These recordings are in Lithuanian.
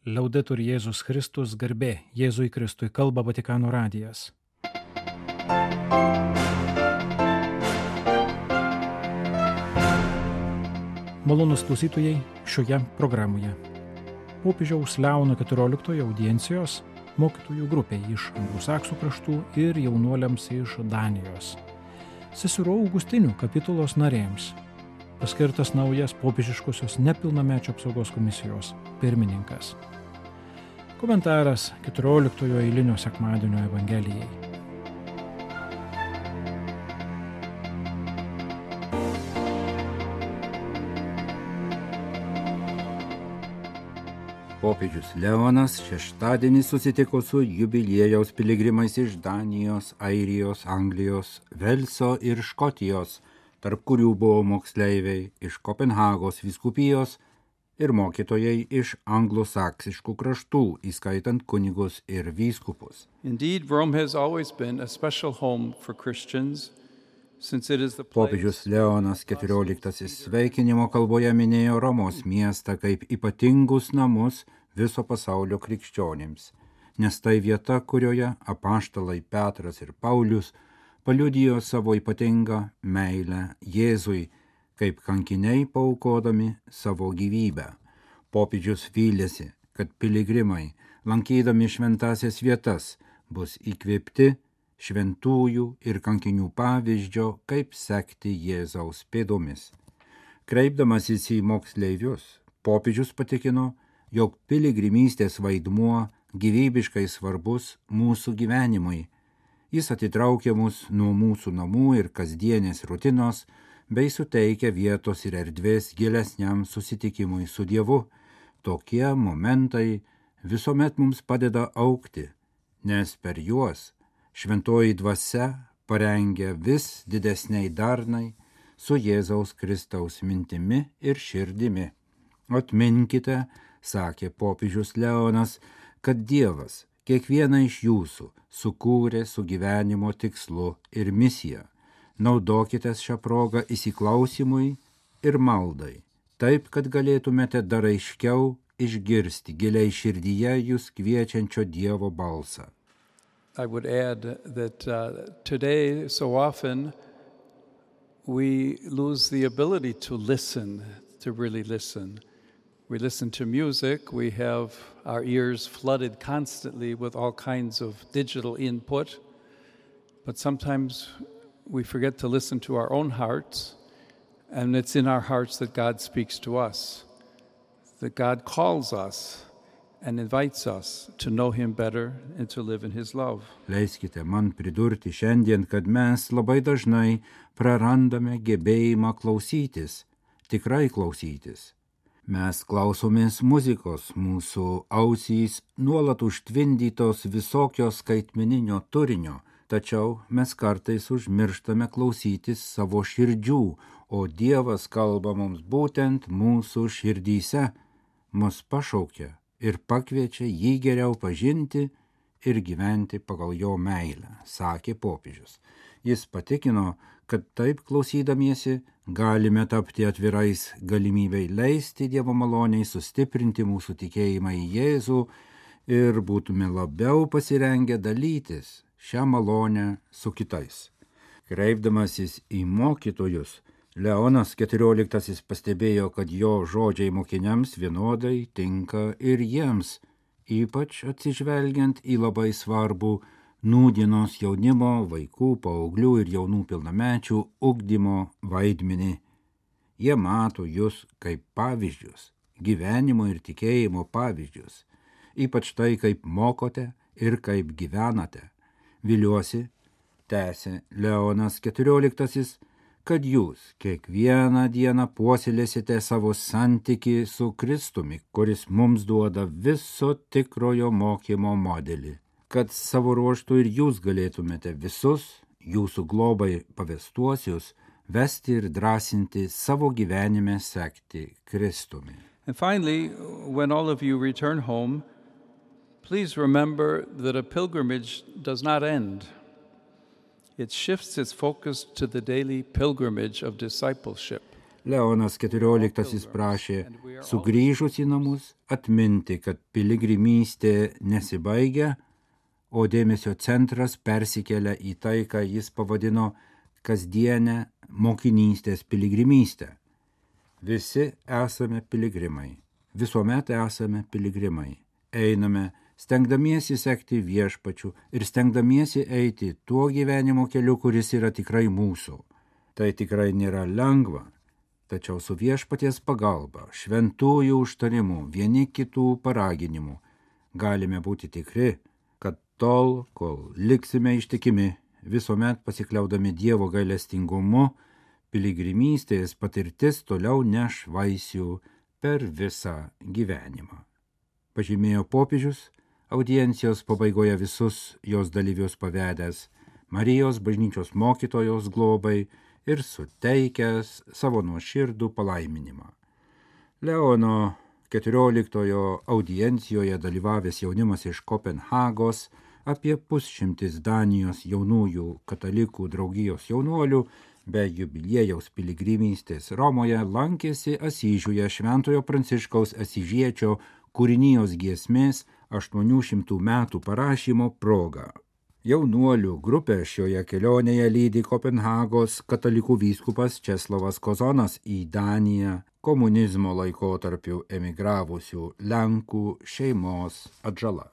Liaudetur Jėzus Kristus, garbė Jėzui Kristui, kalba Vatikano radijas. Malonūs klausytojai šioje programoje. Popiežiaus Leono XIV audiencijos mokytojų grupiai iš anglosaksų kraštų ir jaunuoliams iš Danijos. Seserų Augustinių kapitulos narėms paskirtas naujas popiežiškosios nepilnamečio apsaugos komisijos pirmininkas. Komentaras 14 eilinio sekmadienio Evangelijai. Popiežius Leonas šeštadienį susitiko su jubiliejaus piligrimais iš Danijos, Airijos, Anglijos, Velso ir Škotijos, tarp kurių buvo moksleiviai iš Kopenhagos vyskupijos ir mokytojai iš anglosaksiškų kraštų, įskaitant kunigus ir vyskupus. Indeed, Rome has always been a special home for Christians. Popiežius Leonas XIV sveikinimo kalboje minėjo Romos miestą kaip ypatingus namus viso pasaulio krikščionims, nes tai vieta, kurioje apaštalai Petras ir Paulius paliudijo savo ypatingą meilę Jėzui, kaip kankiniai paaukodami savo gyvybę. Popiežius vylėsi, kad piligrimai, lankydami šventasias vietas, bus įkvėpti šventųjų ir kankinių pavyzdžio, kaip sekti Jėzaus pėdomis. Kreipdamasis į moksleivius, popiežius patikino, jog piligrimystės vaidmuo gyvybiškai svarbus mūsų gyvenimui. Jis atitraukia mus nuo mūsų namų ir kasdienės rutinos, bei suteikia vietos ir erdvės gilesniam susitikimui su Dievu. Tokie momentai visuomet mums padeda augti, nes per juos Šventoji dvasia parengia vis didesniai darnai su Jėzaus Kristaus mintimi ir širdimi. Atminkite, sakė popiežius Leonas, kad Dievas kiekvieną iš jūsų sukūrė su gyvenimo tikslu ir misija. Naudokitės šią progą įsiklausimui ir maldai, taip, kad galėtumėte dar aiškiau išgirsti giliai širdyje jūs kviečiančio Dievo balsą. I would add that today, so often, we lose the ability to listen, to really listen. We listen to music, we have our ears flooded constantly with all kinds of digital input, but sometimes we forget to listen to our own hearts, and it's in our hearts that God speaks to us, that God calls us and invites us to know Him better and to live in His love. Leiskite man pridurti šiandien, kad mes labai dažnai prarandame gebėjimą klausytis, tikrai klausytis. Mes klausomės muzikos, mūsų ausys nuolat užtvindytos visokios skaitmeninio turinio, tačiau mes kartais užmirštame klausytis savo širdžių, o Dievas kalba mums būtent mūsų širdyse, mus pašaukia ir pakviečia jį geriau pažinti ir gyventi pagal jo meilę, sakė popiežius. Jis patikino, kad taip klausydamiesi galime tapti atvirais galimybei leisti Dievo maloniai sustiprinti mūsų tikėjimą į Jėzų ir būtume labiau pasirengę dalytis šią malonę su kitais. Kreipdamasis į mokytojus, Leonas XIV pastebėjo, kad jo žodžiai mokiniams vienodai tinka ir jiems, ypač atsižvelgiant į labai svarbų nūdienos jaunimo, vaikų, paauglių ir jaunų pilnamečių ugdymo vaidmenį. Jie mato jūs kaip pavyzdžius, gyvenimo ir tikėjimo pavyzdžius, ypač tai, kaip mokote ir kaip gyvenate. Viliuosi, tęsė Leonas XIV, kad jūs kiekvieną dieną puoselėsite savo santykį su Kristumi, kuris mums duoda viso tikrojo mokymo modelį, kad savo ruožtu ir jūs galėtumėte visus jūsų globai pavestuosius vesti ir drąsinti savo gyvenime sekti Kristumi. And finally, when all of you return home, please remember that a pilgrimage does not end. It shifts its focus to the daily pilgrimage of discipleship. Leonas XIV prašė sugrįžus į namus atminti, kad piligrimystė nesibaigia, o dėmesio centras persikelia į tai, ką jis pavadino kasdienę mokinystės piligrimystę. Visi esame piligrimai, visuomet esame piligrimai. Einame, stengdamiesi sekti viešpačiu ir stengdamiesi eiti tuo gyvenimo keliu, kuris yra tikrai mūsų. Tai tikrai nėra lengva, tačiau su viešpaties pagalba, šventųjų užtarimu, vieni kitų paraginimu galime būti tikri, kad tol, kol liksime ištikimi, visuomet pasikliaudami Dievo gailestingumu, piligrimystės patirtis toliau neš vaisių per visą gyvenimą. Pažymėjo popiežius, audiencijos pabaigoje visus jos dalyvius pavedęs Marijos bažnyčios mokytojos globai ir suteikęs savo nuoširdų palaiminimą. Leono XIV audiencijoje dalyvavęs jaunimas iš Kopenhagos, apie 100 Danijos jaunųjų katalikų draugijos jaunuolių be jubiliejaus piligrimystės Romoje lankėsi Asyžiuje Šventojo Pranciškaus Asyžiečio kūrinijos giesmės 800 metų parašymo proga. Jaunuolių grupę šioje kelionėje lydi Kopenhagos katalikų vyskupas Česlovas Kozonas į Daniją komunizmo laikotarpiu emigravusių Lenkų šeimos atžala.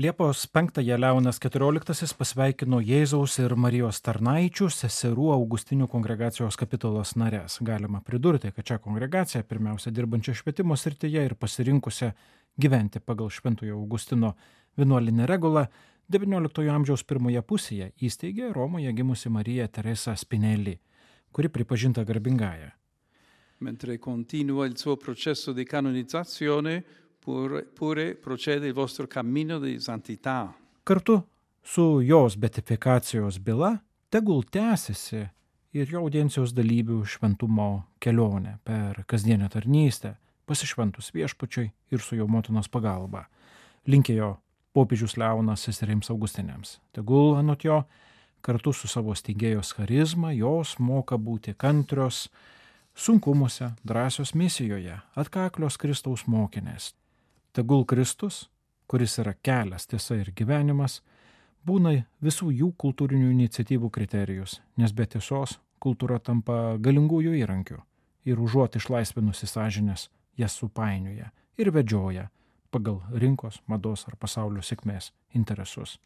Liepos 5-ąją Leonas XIV pasveikino Jėzaus ir Marijos tarnaičių seserų Augustinių kongregacijos kapitulos narės. Galima pridurti, kad šią kongregaciją, pirmiausia dirbančią švietimo srityje ir pasirinkusią gyventi pagal Šventojo Augustino vienuolinę regulą, XIX amžiaus pirmoje pusėje įsteigė Romoje gimusi Marija Teresa Spinelli, kuri pripažinta garbingąja. Mentre continua il suo processo di canonizzazione, pure procede il vostro cammino di santità. Kartu su jos beatifikacijos byla tegul tęsiasi ir jo audiencijos dalyvių šventumo kelionė per kasdienę tarnystę, pasišventus viešpačiui ir su jo motinos pagalba. Linkėjo popiežius Leonas seserims Augustinėms. Tegul anot jo, kartu su savo steigėjos charizma, jos moka būti kantrios, sunkumuose, drąsios misijoje, atkaklios Kristaus mokinės. Tegul Kristus, kuris yra kelias, tiesa ir gyvenimas, būna visų jų kultūrinių iniciatyvų kriterijus, nes be tiesos kultūra tampa galingųjų įrankių ir užuot išlaisvinusi sąžinės, jas supainioja ir vedžioja pagal rinkos, mados ar pasaulio sėkmės interesus.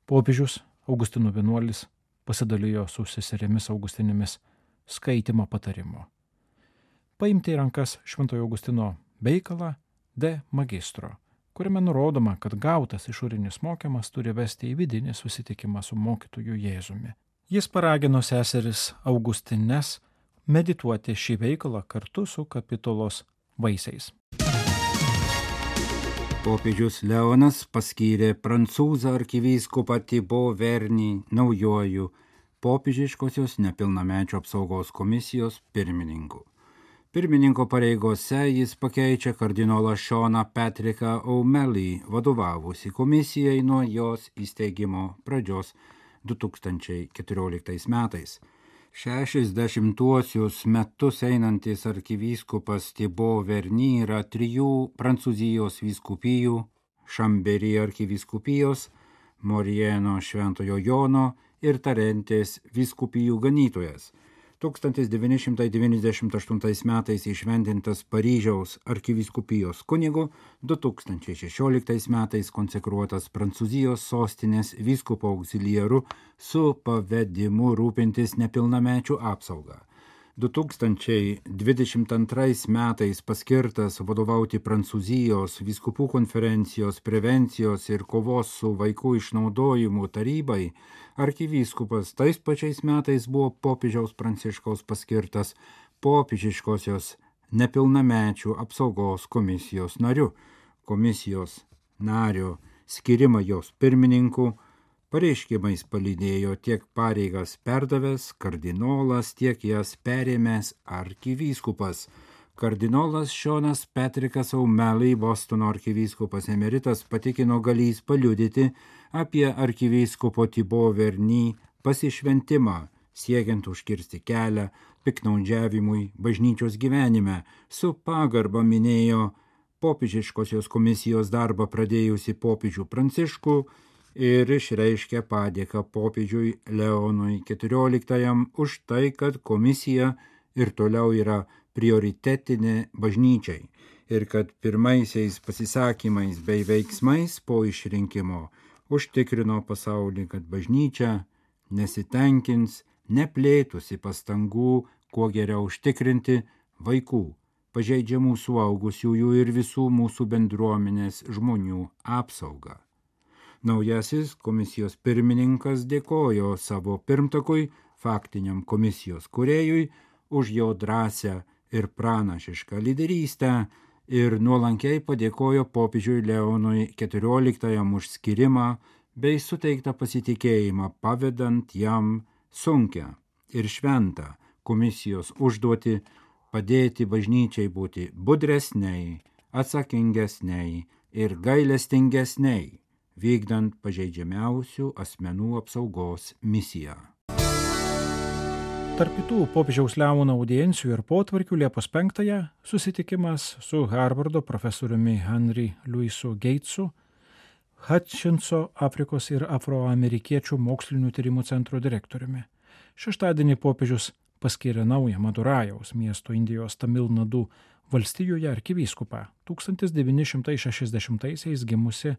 Popiežius Augustinų vienuolis pasidalijo su seserėmis Augustinėmis skaitymo patarimu. Paimti į rankas Šventojo Augustino veikalą De Magistro, kuriame nurodoma, kad gautas išorinis mokymas turi vesti į vidinį susitikimą su mokytoju Jėzumi. Jis paragino seseris Augustines medituoti šį veikalą kartu su kapitulos vaisiais. Popiežius Leonas paskyrė prancūzą arkivyskupą Thibaut Verny naujuoju popiežiškosios nepilnamečių apsaugos komisijos pirmininku. Pirmininko pareigose jis pakeičia kardinolą Seaną Patricką O'Malley, vadovavusi komisijai nuo jos įsteigimo pradžios 2014 metais. 60-uosius metus einantis arkivyskupas Thibaut Verny yra 3 Prancūzijos vyskupijų, Šamberi arkivyskupijos, Morieno Šventojo Jono ir Tarentės vyskupijų ganytojas. 1998 metais įšventintas Paryžiaus arkivyskupijos kunigu, 2016 metais konsekruotas Prancūzijos sostinės vyskupo auxiliaru su pavedimu rūpintis nepilnamečių apsaugą. 2022 metais paskirtas vadovauti Prancūzijos vyskupų konferencijos prevencijos ir kovos su vaikų išnaudojimu tarybai, arkivyskupas tais pačiais metais buvo popiežiaus Pranciškaus paskirtas popiežiškosios nepilnamečių apsaugos komisijos nariu. Komisijos nario skirimą jos pirmininku pareiškimais palydėjo tiek pareigas perdavęs kardinolas, tiek jas perėmęs arkivyskupas. Kardinolas Seanas Patrickas O'Malley, Bostono arkivyskupas emeritas, patikino galįs paliudyti apie arkivyskupo Thibaut Verny pasišventimą siekiant užkirsti kelią piktnaudžiavimui bažnyčios gyvenime, su pagarba minėjo popiežiškosios komisijos darbą pradėjusi popiežių Pranciškų ir išreiškė padėką popiežiui Leonui XIV už tai, kad komisija ir toliau yra prioritetinė bažnyčiai ir kad pirmaisiais pasisakymais bei veiksmais po išrinkimo užtikrino pasaulį, kad bažnyčia nesitenkins, neplėtusi pastangų, kuo geriau užtikrinti vaikų, pažeidžiamų suaugusiųjų ir visų mūsų bendruomenės žmonių apsaugą. Naujasis komisijos pirmininkas dėkojo savo pirmtakui, faktiniam komisijos kūrėjui, už jo drąsią ir pranašišką lyderystę ir nuolankiai padėkojo popiežiui Leonui XIV už skirimą bei suteiktą pasitikėjimą, pavedant jam sunkią ir šventą komisijos užduotį padėti bažnyčiai būti budresniai, atsakingesniai ir gailestingesniai, vykdant pažeidžiamiausių asmenų apsaugos misiją. Tarp kitų popiežiaus Leono audiencijų ir potvarkių Liepos 5 susitikimas su Harvardo profesoriumi Henry Louisu Gatesu, Hutchinso Afrikos ir afroamerikiečių mokslinių tyrimų centro direktoriumi. Šeštadienį popiežius paskyrė naują Madurajaus miesto Indijos Tamil Nadu valstijoje arkivyskupą, 1960-aisiais gimusi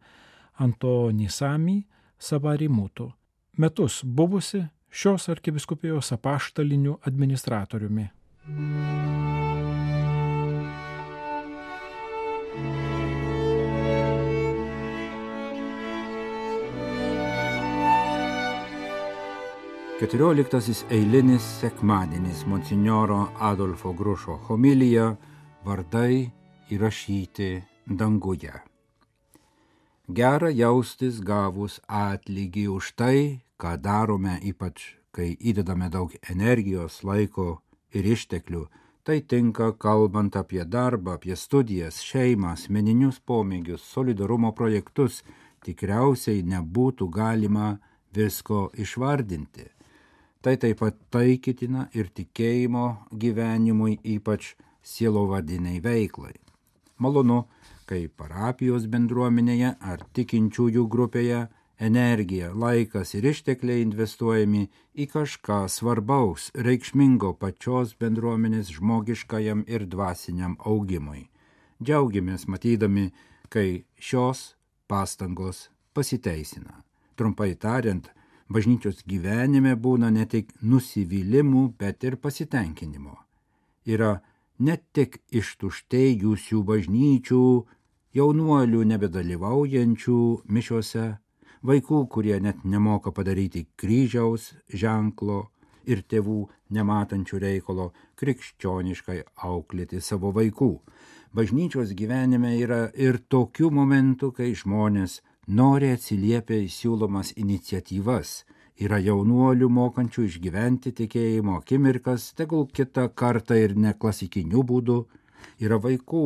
Antonisami Savarimutu, metus buvusi šios arkivyskupijos apaštaliniu administratoriumi. Keturioliktasis eilinis sekmadienis monsinjoro Adolfo Grušo homilija Vardai įrašyti danguje. Gera jaustis gavus atlygį už tai, ką darome, ypač kai įdedame daug energijos, laiko ir išteklių. Tai tinka kalbant apie darbą, apie studijas, šeimą, asmeninius pomėgius, solidarumo projektus. Tikriausiai nebūtų galima visko išvardinti. Tai taip pat taikytina ir tikėjimo gyvenimui, ypač sielovadiniai veiklai. Malonu, kai parapijos bendruomenėje ar tikinčiųjų grupėje energija, laikas ir ištekliai investuojami į kažką svarbaus, reikšmingo pačios bendruomenės žmogiškajam ir dvasiniam augimui. Džiaugiamės matydami, kai šios pastangos pasiteisina. Trumpai tariant, bažnyčios gyvenime būna ne tik nusivylimų, bet ir pasitenkinimo. Yra ne tik ištuštėjusių bažnyčių, jaunuolių nebedalyvaujančių mišiose, vaikų, kurie net nemoka padaryti kryžiaus ženklo ir tėvų nematančių reikalo krikščioniškai auklėti savo vaikų. Bažnyčios gyvenime yra ir tokių momentų, kai žmonės nori atsiliepia į siūlomas iniciatyvas. Yra jaunuolių mokančių išgyventi tikėjimo akimirkas, tegul kitą kartą ir ne klasikiniu būdu. Yra vaikų,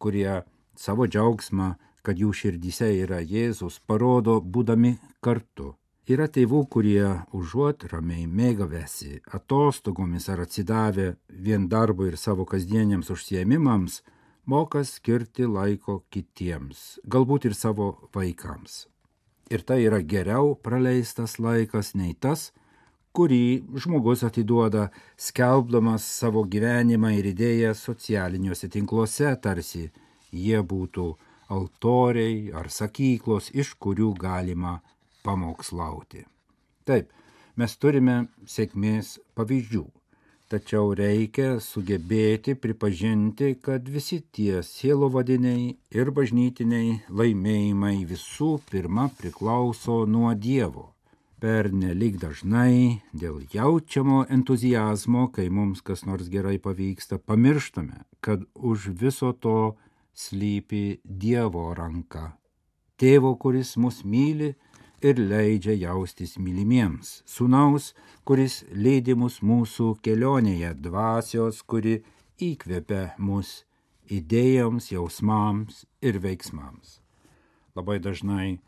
kurie savo džiaugsmą, kad jų širdyse yra Jėzus, parodo būdami kartu. Yra tėvų, kurie užuot ramiai mėgavęsi atostogomis ar atsidavę vien darbui ir savo kasdieniams užsiėmimams, moka skirti laiko kitiems, galbūt ir savo vaikams. Ir tai yra geriau praleistas laikas nei tas, kurį žmogus atiduoda skelbdamas savo gyvenimą ir idėjas socialiniuose tinkluose, tarsi jie būtų altoriai ar sakyklos, iš kurių galima pamokslauti. Taip, mes turime sėkmės pavyzdžių, tačiau reikia sugebėti pripažinti, kad visi tie sielovadiniai ir bažnytiniai laimėjimai visų pirma priklauso nuo Dievo. Pernelyg dažnai dėl jaučiamo entuziazmo, kai mums kas nors gerai pavyksta, pamirštame, kad už viso to slypi Dievo ranka. Tėvo, kuris mus myli ir leidžia jaustis mylimiems. Sūnaus, kuris lydi mus mūsų kelionėje, dvasios, kuri įkvepia mus idėjoms, jausmams ir veiksmams. Labai dažnai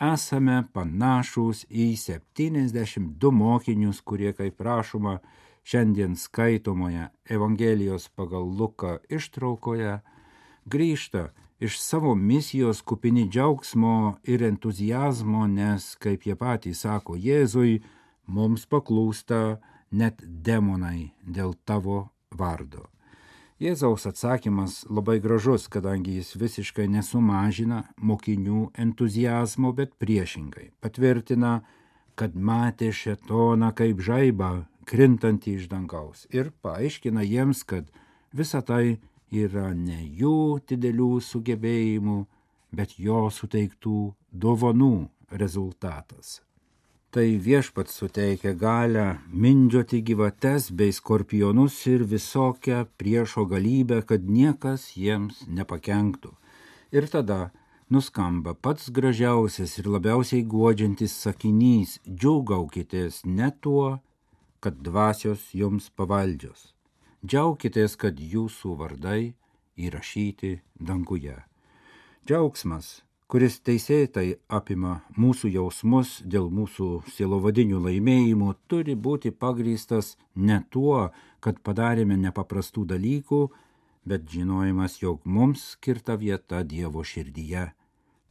esame panašūs į 72 mokinius, kurie, kaip rašoma šiandien skaitomoje Evangelijos pagal Luką ištraukoje, grįžta iš savo misijos kupini džiaugsmo ir entuzijazmo, nes, kaip jie patys sako Jėzui, mums paklūsta net demonai dėl tavo vardo. Jėzaus atsakymas labai gražus, kadangi jis visiškai nesumažina mokinių entuzijazmo, bet priešingai patvirtina, kad matė šėtoną kaip žaibą krintantį iš dangaus ir paaiškina jiems, kad visa tai yra ne jų didelių sugebėjimų, bet jo suteiktų dovanų rezultatas. Tai viešpats suteikia galią mindžioti gyvates bei skorpionus ir visokią priešo galybę, kad niekas jiems nepakenktų. Ir tada nuskamba pats gražiausias ir labiausiai guodžiantis sakinys: džiūgaukitės ne tuo, kad dvasios jums pavaldžios. Džiaukitės, kad jūsų vardai įrašyti danguje. Džiaugsmas, kuris teisėtai apima mūsų jausmus dėl mūsų sielovadinių laimėjimų, turi būti pagrįstas ne tuo, kad padarėme nepaprastų dalykų, bet žinojimas, jog mums skirta vieta Dievo širdyje.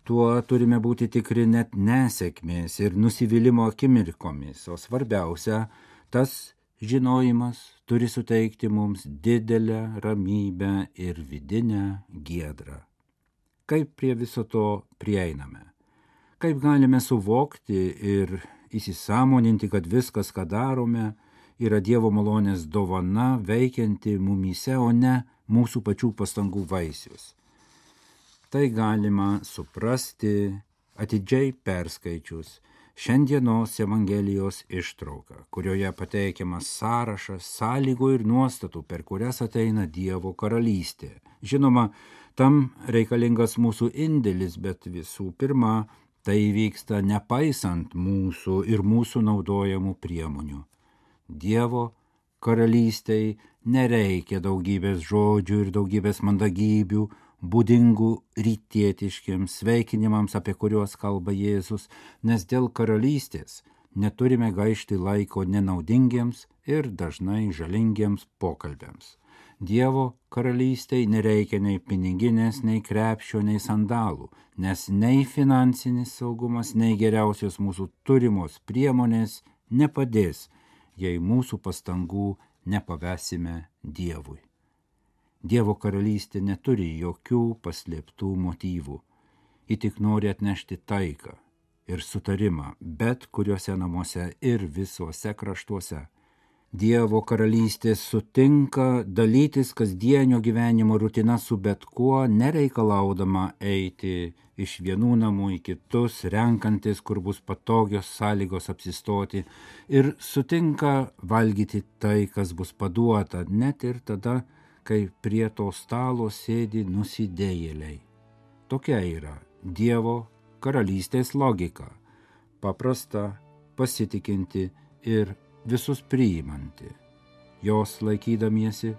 Tuo turime būti tikri net nesėkmės ir nusivylimo akimirkomis, o svarbiausia, tas žinojimas turi suteikti mums didelę ramybę ir vidinę giedrą. Kaip prie viso to prieiname? Kaip galime suvokti ir įsisąmoninti, kad viskas, ką darome, yra Dievo malonės dovana veikianti mumyse, o ne mūsų pačių pastangų vaisius? Tai galima suprasti atidžiai perskaičius šiandienos Evangelijos ištrauką, kurioje pateikiamas sąrašas sąlygų ir nuostatų, per kurias ateina Dievo karalystė. Žinoma, tam reikalingas mūsų indėlis, bet visų pirma, tai vyksta nepaisant mūsų ir mūsų naudojamų priemonių. Dievo karalystei nereikia daugybės žodžių ir daugybės mandagybių, būdingų rytietiškiams sveikinimams, apie kuriuos kalba Jėzus, nes dėl karalystės neturime gaišti laiko nenaudingiems ir dažnai žalingiems pokalbiams. Dievo karalystei nereikia nei piniginės, nei krepšio, nei sandalų, nes nei finansinis saugumas, nei geriausios mūsų turimos priemonės nepadės, jei mūsų pastangų nepavesime Dievui. Dievo karalystė neturi jokių paslėptų motyvų. Ji tik nori atnešti taiką ir sutarimą bet kuriuose namuose ir visuose kraštuose. Dievo karalystė sutinka dalytis kasdienio gyvenimo rutina su bet kuo, nereikalaudama eiti iš vienų namų į kitus, renkantis, kur bus patogios sąlygos apsistoti, ir sutinka valgyti tai, kas bus paduota, net ir tada, kai prie to stalo sėdi nusidėjėliai. Tokia yra Dievo karalystės logika, paprasta, pasitikinti ir visus priimanti. Jos laikydamiesi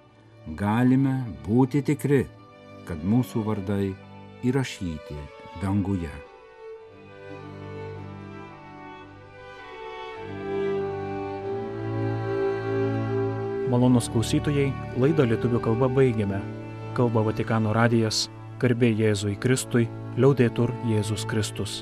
galime būti tikri, kad mūsų vardai įrašyti danguje. Malonūs klausytojai, laidą lietuvių kalba baigiame. Kalba Vatikano radijas, garbė Jėzui Kristui, liaudetur Jėzus Kristus.